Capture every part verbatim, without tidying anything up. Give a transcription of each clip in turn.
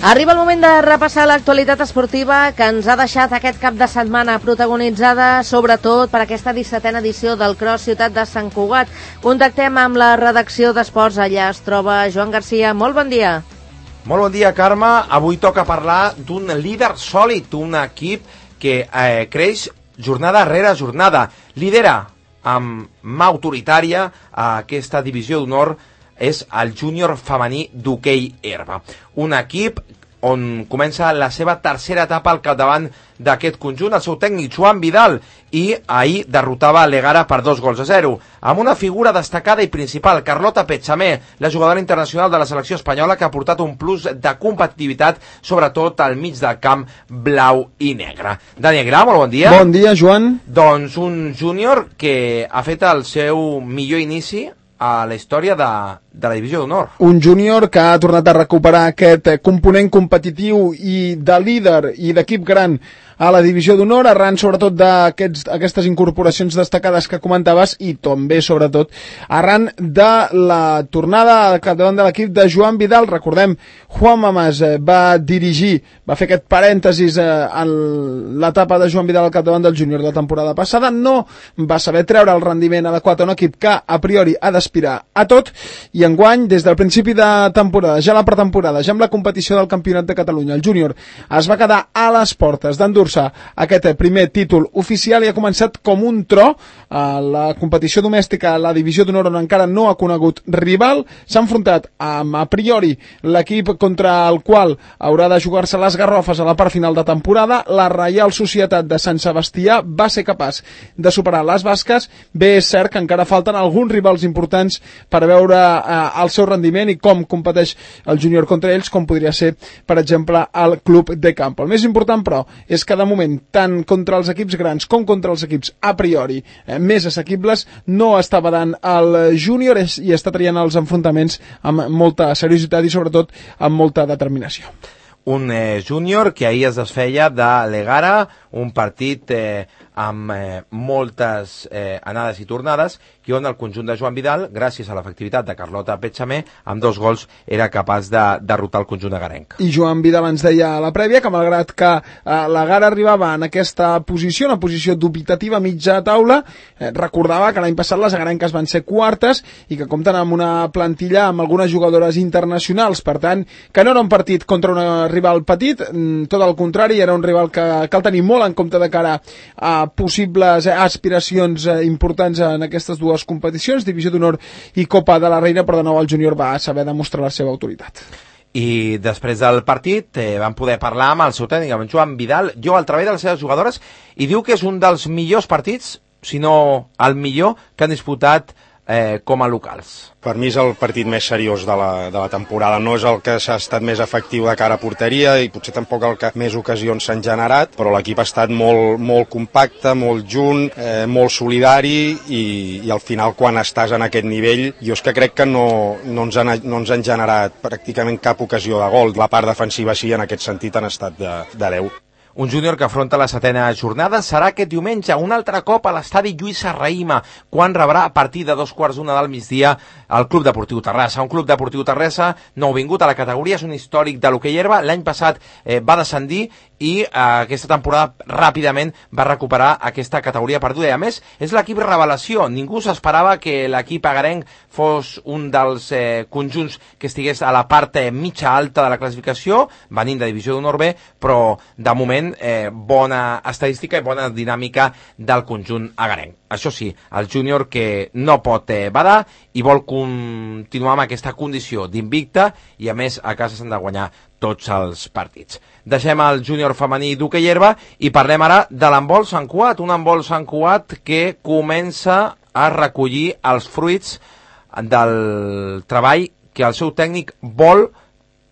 Arriba el moment de repassar l'actualitat esportiva que ens ha deixat aquest cap de setmana, protagonitzada sobretot per aquesta dissetena edició del Cross Ciutat de Sant Cugat. Contactem amb la redacció d'Esports. Allà es troba Joan Garcia. Molt bon dia. Molt bon dia, Carme. Avui toca parlar d'un líder sòlid, un equip que eh, creix jornada rere jornada. Lidera amb mà autoritària a aquesta divisió d'honor és el júnior femení d'hoquei herba. Un equip on comença la seva tercera etapa al capdavant d'aquest conjunt, el seu tècnic Joan Vidal, i ahir derrotava l'Egara per dos gols a zero, amb una figura destacada i principal, Carlota Petxamé, la jugadora internacional de la selecció espanyola, que ha portat un plus de competitivitat, sobretot al mig del camp blau i negre. Dani Aguilar, molt bon dia. Bon dia, Joan. Doncs un júnior que ha fet el seu millor inici a la història de, de la divisió d'honor. Un júnior que ha tornat a recuperar aquest component competitiu i de líder i d'equip gran a la divisió d'honor, arran sobretot d'aquestes incorporacions destacades que comentaves i també sobretot arran de la tornada al capdavant de l'equip de Joan Vidal. Recordem, Juan Mamàs va dirigir, va fer aquest parèntesis en l'etapa de Joan Vidal al capdavant del júnior de la temporada passada, no va saber treure el rendiment adequat a un equip que a priori ha d'aspirar a tot, i enguany, des del principi de temporada, ja la pretemporada, ja amb la competició del Campionat de Catalunya, el júnior es va quedar a les portes d'endur aquest primer títol oficial i ha començat com un tro a la competició domèstica, a la divisió d'honor on encara no ha conegut rival. S'ha enfrontat amb a priori l'equip contra el qual haurà de jugar-se les garrofes a la part final de temporada. La Reial Societat de Sant Sebastià va ser capaç de superar les basques. Bé, és cert que encara falten alguns rivals importants per veure eh, el seu rendiment i com competeix el júnior contra ells, com podria ser, per exemple, el Club de Campo. El més important, però, és que de moment, tant contra els equips grans com contra els equips a priori eh, més assequibles, no està badant el júnior i està traient els enfrontaments amb molta seriositat i sobretot amb molta determinació. Un eh, júnior que ahir es desfeia de l'Egara, un partit eh, amb eh, moltes eh, anades i tornades, i on el conjunt de Joan Vidal, gràcies a l'efectivitat de Carlota Petxamé, amb dos gols era capaç de derrotar el conjunt agarenc. I Joan Vidal ens deia a la prèvia que malgrat que eh, l'Egara arribava en aquesta posició, una posició dubitativa mitja taula, eh, recordava que l'any passat les agarenques van ser quartes i que compten amb una plantilla amb algunes jugadores internacionals, per tant, que no era un partit contra un rival petit, tot el contrari, era un rival que cal tenir molt en compte de cara a possibles aspiracions importants en aquestes dues competicions, Divisió d'Honor i Copa de la Reina, però de nou el júnior va saber demostrar la seva autoritat. I després del partit eh, vam poder parlar amb el seu tècnic, amb Joan Vidal, jo al treball de les seves jugadores, i diu que és un dels millors partits, si no el millor, que han disputat eh, com a locals. Per mi és el partit més seriós de la, de la temporada, no és el que s'ha estat més efectiu de cara a porteria i potser tampoc el que més ocasions s'han generat, però l'equip ha estat molt, molt compacte, molt junt, eh, molt solidari i, i al final quan estàs en aquest nivell jo és que crec que no, no, ens han, no ens han generat pràcticament cap ocasió de gol. La part defensiva sí, en aquest sentit han estat de, de deu. Un júnior que afronta la setena jornada serà aquest diumenge un altre cop a l'estadi Lluís Serrahima, quan rebrà a partir de dos quarts d'una del migdia el Club Deportiu Terrassa. Un Club Deportiu Terrassa nouvingut a la categoria, és un històric de l'hoquei herba, l'any passat eh, va descendir i eh, aquesta temporada ràpidament va recuperar aquesta categoria perduda. I a més, és l'equip revelació. Ningú s'esperava que l'equip agarenc fos un dels eh, conjunts que estigués a la part eh, mitja alta de la classificació, venint de Divisió d'Honor B, però de moment Eh, bona estadística i bona dinàmica del conjunt agarenc. Això sí, el júnior que no pot eh, badar i vol continuar amb aquesta condició d'invicta i a més a casa s'han de guanyar tots els partits. Deixem el júnior femení d'hoquei herba i parlem ara de l'handbol Sant Cugat, un handbol Sant Cugat que comença a recollir els fruits del treball que el seu tècnic vol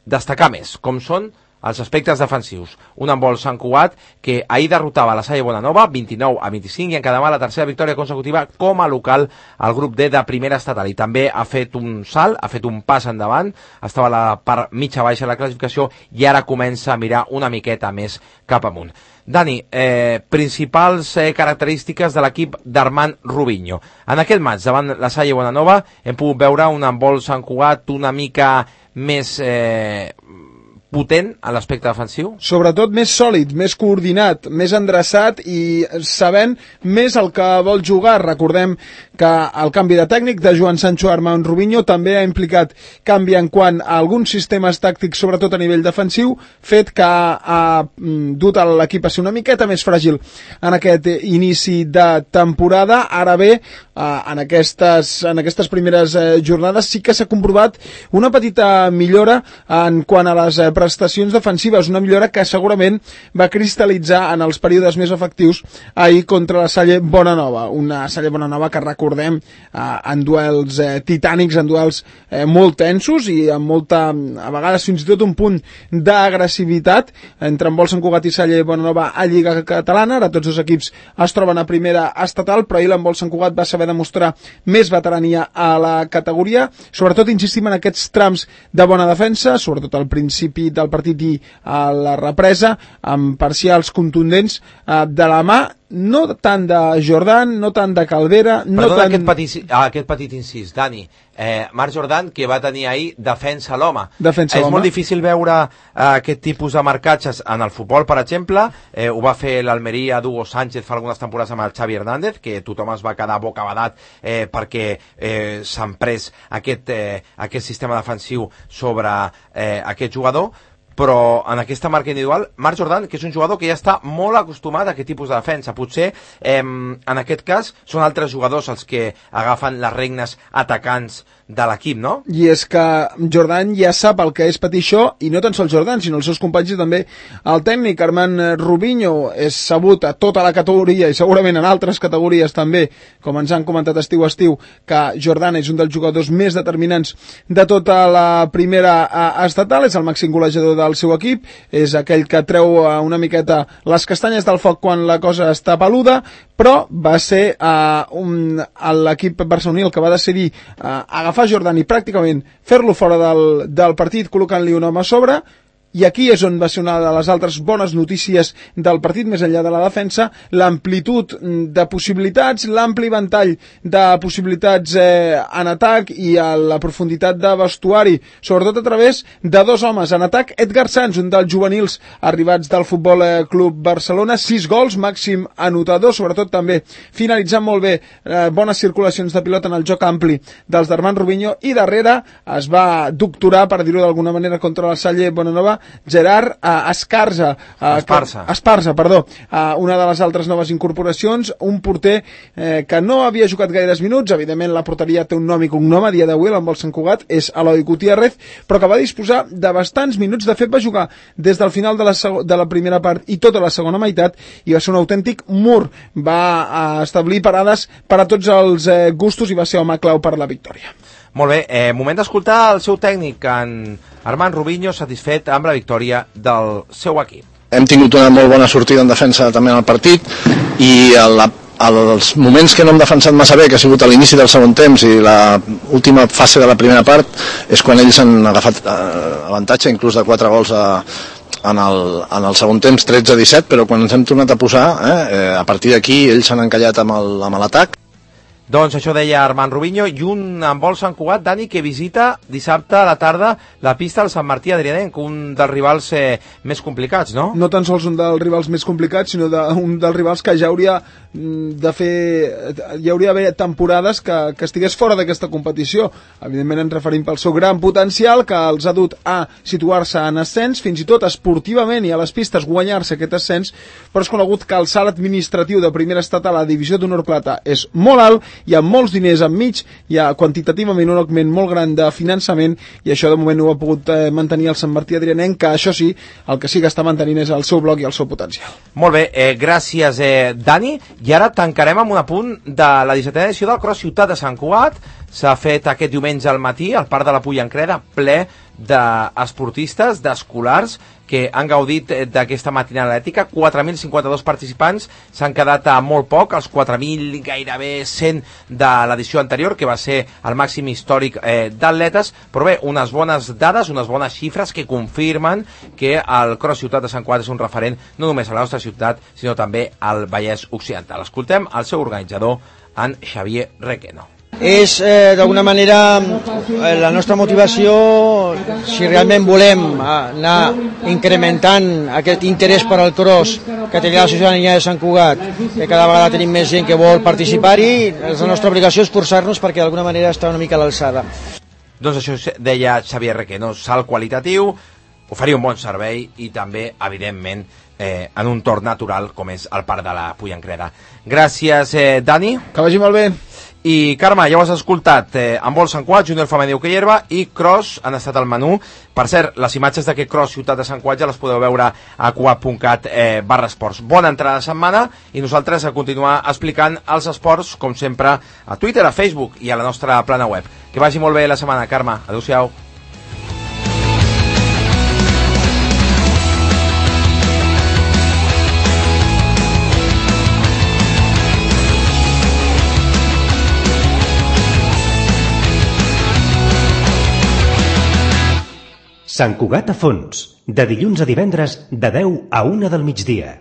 destacar més, com són els aspectes defensius. Un handbol Sant Cugat que ahir derrotava la Salle Bonanova vint-i-nou a vint-i-cinc i encademà la tercera victòria consecutiva com a local al grup D de primera estatal, i també ha fet un salt, ha fet un pas endavant, estava a la part mitja baixa de la classificació i ara comença a mirar una miqueta més cap amunt. Dani, eh, principals eh, característiques de l'equip d'Armand Rubinho. En aquest maig davant la Salle Bonanova hem pogut veure un handbol Sant Cugat una mica més eh, potent a l'aspecte defensiu? Sobretot més sòlid, més coordinat, més endreçat i sabent més el que vol jugar. Recordem que el canvi de tècnic de Joan Sancho a Armand Rubinho també ha implicat canvi en quant a alguns sistemes tàctics, sobretot a nivell defensiu, fet que ha dut l'equip a ser una miqueta més fràgil en aquest inici de temporada. Ara bé, en aquestes, en aquestes primeres jornades sí que s'ha comprovat una petita millora en quant a les prestacions defensives, una millora que segurament va cristal·litzar en els períodes més efectius ahir contra la Salle Bonanova, una Salle Bonanova que recordem eh, en duels eh, titànics, en duels eh, molt tensos i amb molta, a vegades fins i tot un punt d'agressivitat entre en Vol Sant Cugat i Salle Bonanova a Lliga Catalana. Ara tots els equips es troben a primera estatal, però ahir l'Envol Sant Cugat va saber demostrar més veterania a la categoria, sobretot insistim en aquests trams de bona defensa, sobretot al principi del partit i a la represa, amb parcials contundents eh, de la mà, no tant de Jordan, no tant de Calvera, no Perdona tant... aquest, petit, aquest petit incís, Dani. Eh, Marc Jordan, que va tenir ahir defensa a l'home. Defensa és l'home. molt difícil veure eh, aquest tipus de marcatges en el futbol, per exemple. Eh, ho va fer l'Almeria d'Hugo Sánchez fa algunes temporades amb el Xavi Hernández, que tothom es va quedar bocabadat eh, perquè eh, s'han pres aquest, eh, aquest sistema defensiu sobre eh, aquest jugador. Però en aquesta marca individual, Marc Jordan, que és un jugador que ja està molt acostumat a aquest tipus de defensa. Potser, eh, en aquest cas, són altres jugadors els que agafen les regnes atacants de l'equip, no? I és que Jordan ja sap el que és patir això, i no tan sols Jordan, sinó els seus companys i també el tècnic Armand Rubinho. És sabut a tota la categoria i segurament en altres categories també, com ens han comentat estiu a estiu, que Jordan és un dels jugadors més determinants de tota la primera estatal, és el màxim golejador del seu equip, és aquell que treu una miqueta les castanyes del foc quan la cosa està peluda, però va ser uh, un, l'equip barceloní el que va decidir uh, agafar Jordan i pràcticament fer-lo fora del, del partit col·locant-li un home a sobre. I aquí és on va ser una de les altres bones notícies del partit, més enllà de la defensa, l'amplitud de possibilitats, l'ampli ventall de possibilitats eh, en atac i a la profunditat de vestuari, sobretot a través de dos homes. En atac, Edgar Sanz, un dels juvenils arribats del Futbol Club Barcelona, sis gols, màxim anotador, sobretot també finalitzant molt bé eh, bones circulacions de pilota en el joc ampli dels d'Armand Rubinho, i darrere es va doctorar, per dir-ho d'alguna manera, contra la Salle Bonanova, Gerard uh, Escarza, uh, Esparza. Que, Esparza, perdó, uh, una de les altres noves incorporacions, un porter eh, que no havia jugat gaires minuts. Evidentment la porteria té un nom i cognom a dia d'avui, l'Envol Sant Cugat, és Eloi Gutiérrez, però que va disposar de bastants minuts. De fet va jugar des del final de la, de la primera part i tota la segona meitat, i va ser un autèntic mur. Va uh, establir parades per a tots els eh, gustos i va ser home clau per la victòria. Molt bé, eh, moment d'escoltar el seu tècnic, en Armand Rubinho, satisfet amb la victòria del seu equip. Hem tingut una molt bona sortida en defensa també en el partit, i la, els moments que no hem defensat massa bé, que ha sigut a l'inici del segon temps i l'última fase de la primera part, és quan ells han agafat eh, avantatge, inclús de quatre gols a, en, el, en el segon temps, tretze a disset, però quan ens hem tornat a posar, eh, a partir d'aquí ells s'han encallat amb l'atac. Doncs això deia Armand Rubinho, i un Envol Sant Cugat, Dani, que visita dissabte a la tarda la pista del Sant Martí Adrianenc, un dels rivals eh, més complicats, no? No tan sols un dels rivals més complicats, sinó de, un dels rivals que ja hauria de fer, hi hauria d'haver temporades que, que estigués fora d'aquesta competició. Evidentment ens referim pel seu gran potencial, que els ha dut a situar-se en ascens, fins i tot esportivament i a les pistes guanyar-se aquest ascens, però és conegut que el salt administratiu de primera estatal a la divisió d'honor plata és molt alt, hi ha molts diners enmig, hi ha quantitativament un augment molt gran de finançament, i això de moment ho ha pogut eh, mantenir el Sant Martí Adrianenc, que això sí, el que sí que està mantenint és el seu bloc i el seu potencial. Molt bé, eh, gràcies eh, Dani, i ara tancarem amb un apunt de la dissetena edició del Cross Ciutat de Sant Cugat. S'ha fet aquest diumenge al matí al Parc de la Pollancreda, ple d'esportistes, d'escolars, que han gaudit d'aquesta matinada atlètica. quatre mil cinquanta-dos participants, s'han quedat a molt poc, els quatre mil gairebé cent de l'edició anterior, que va ser el màxim històric eh, d'atletes, però bé, unes bones dades, unes bones xifres que confirmen que el Cross Ciutat de Sant Cugat és un referent no només a la nostra ciutat, sinó també al Vallès Occidental. Escoltem el seu organitzador, en Xavier Requeno. És, eh, d'alguna manera, eh, la nostra motivació, si realment volem anar incrementant aquest interès per al cross que té la ciutadania de Sant Cugat, que cada vegada tenim més gent que vol participar-hi, la nostra obligació és forçar-nos perquè d'alguna manera està una mica a l'alçada. Doncs això deia Xavier Requeno, salt qualitatiu, oferir un bon servei i també, evidentment, eh, en un torn natural com és el Parc de la Pollancrera. Gràcies, eh, Dani. Que vagi molt bé. I Carme, ja ho has escoltat, eh, handbol Sant Cugat, júnior femení hoquei herba i cross han estat al menú. Per cert, les imatges d'aquest cross Ciutat de Sant Cugat ja les podeu veure a cugat punt cat eh, barra esports. Bona entrada de setmana i nosaltres a continuar explicant els esports, com sempre, a Twitter, a Facebook i a la nostra plana web. Que vagi molt bé la setmana, Carme. Adéu-siau. Sant Cugat a fons, de dilluns a divendres de deu a una del migdia.